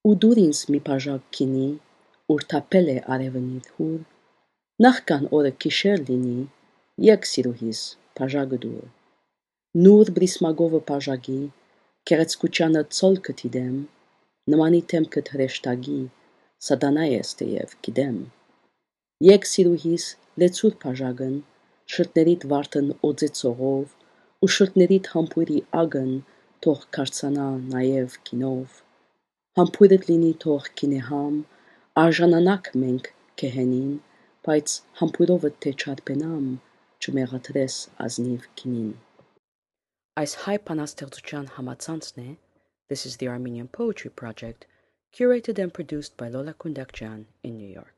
ու դուր ինձ մի բաժակ գինի, ուր թափել է արևնի հուր, նախքան օրը գիշեր լինի, եկ սիրուհիս բաժակը դուր, նուր բրիսմագովը բաժակի, գեղեցկությանը ցոլքը դիտեմ, նմանի դեմքդ հրեշտակի, սատանա ես թեև գիտեմ, եկ սիրուհիս լեցուր բաժակն, շրտներիդ վարդն օծեցողով, ու շրտներիդ համբույրի ագն թող կարծանա նաև գինով, համբույրդ լինի թող գինեհամ, արժանանաք մենք գեհենին, բայց համբույրովդ թե չարբենամ, չմեղադրես ազնիվ գինին։ Այս հայ բանաստեղծության համացանցն է This is the Armenian Poetry Project, curated and produced by Lola Kundakjan in New York.